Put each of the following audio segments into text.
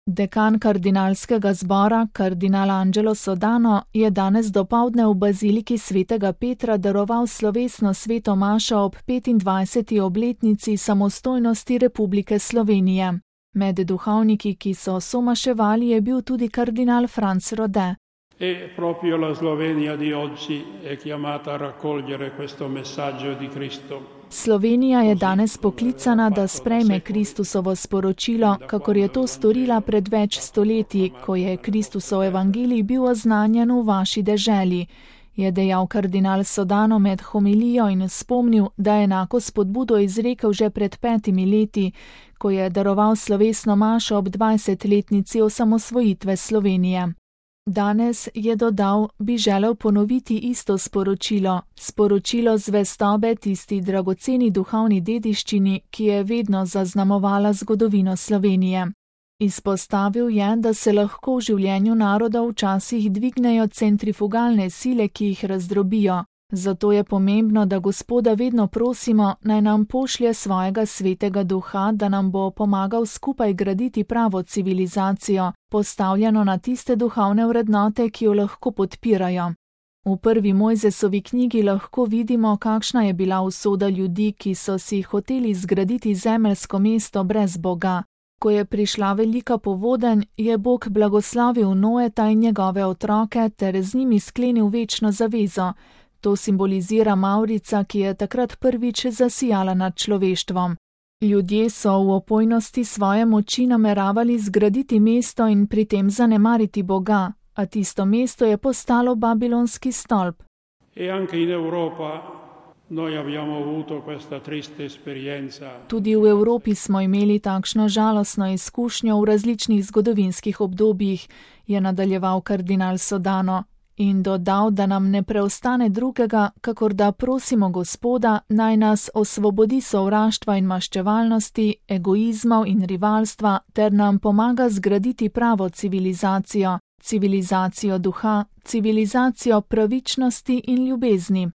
Dekan kardinalskega zbora, kardinal Angelo Sodano, je danes dopoldne v baziliki svetega Petra daroval slovesno sveto mašo ob 25. obletnici samostojnosti Republike Slovenije. Med duhovniki, ki so somaševali, je bil tudi kardinal Franz Rode. E proprio la Slovenia di oggi è chiamata a raccogliere questo messaggio di Cristo. Slovenija je danes poklicana, da sprejme Kristusovo sporočilo, kakor je to storila pred več stoletji, ko je Kristusov evangelij bil oznanjen v vaši deželi, je dejal kardinal Sodano med homilijo in spomnil, da je enako spodbudo izrekel že pred 5 leti, ko je daroval slovesno mašo ob 20-letnici osamosvojitve Slovenije. Danes, je dodal, bi želel ponoviti isto sporočilo zvestobe tisti dragoceni duhovni dediščini, ki je vedno zaznamovala zgodovino Slovenije. Izpostavil je, da se lahko v življenju naroda včasih dvignejo centrifugalne sile, ki jih razdrobijo. Zato je pomembno, da Gospoda vedno prosimo, naj nam pošlje svojega svetega duha, da nam bo pomagal skupaj graditi pravo civilizacijo, postavljeno na tiste duhovne vrednote, ki jo lahko podpirajo. V prvi Mojzesovi knjigi lahko vidimo, kakšna je bila usoda ljudi, ki so si hoteli zgraditi zemeljsko mesto brez Boga. Ko je prišla velika povodenj, je Bog blagoslovil Noeta in njegove otroke ter z njimi sklenil večno zavezo. To simbolizira mavrica, ki je takrat prvič zasijala nad človeštvom. Ljudje so v opojnosti svoje moči nameravali zgraditi mesto in pri tem zanemariti Boga, a tisto mesto je postalo babilonski stolp. Tudi v Evropi smo imeli takšno žalostno izkušnjo v različnih zgodovinskih obdobjih, je nadaljeval kardinal Sodano. In dodal, da nam ne preostane drugega, kakor da prosimo Gospoda, naj nas osvobodi sovraštva in maščevalnosti, egoizmov in rivalstva, ter nam pomaga zgraditi pravo civilizacijo, civilizacijo duha, civilizacijo pravičnosti in ljubezni.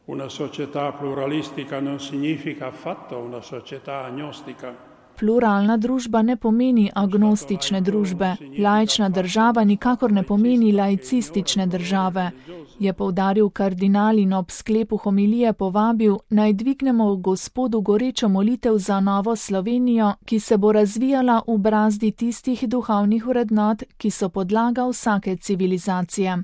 Una società pluralistica non significa affatto una società agnostica. Pluralna družba ne pomeni agnostične družbe, laična država nikakor ne pomeni laicistične države, je poudaril kardinal in ob sklepu homilije povabil, naj dvignemo v Gospodu gorečo molitev za novo Slovenijo, ki se bo razvijala v brazdi tistih duhovnih vrednot, ki so podlaga vsake civilizacije.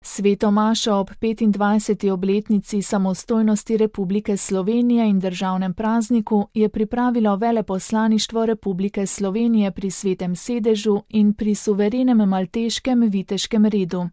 Sveto mašo ob 25. obletnici samostojnosti Republike Slovenije in državnem prazniku je pripravilo veleposlaništvo Republike Slovenije pri Svetem sedežu in pri suverenem malteškem viteškem redu.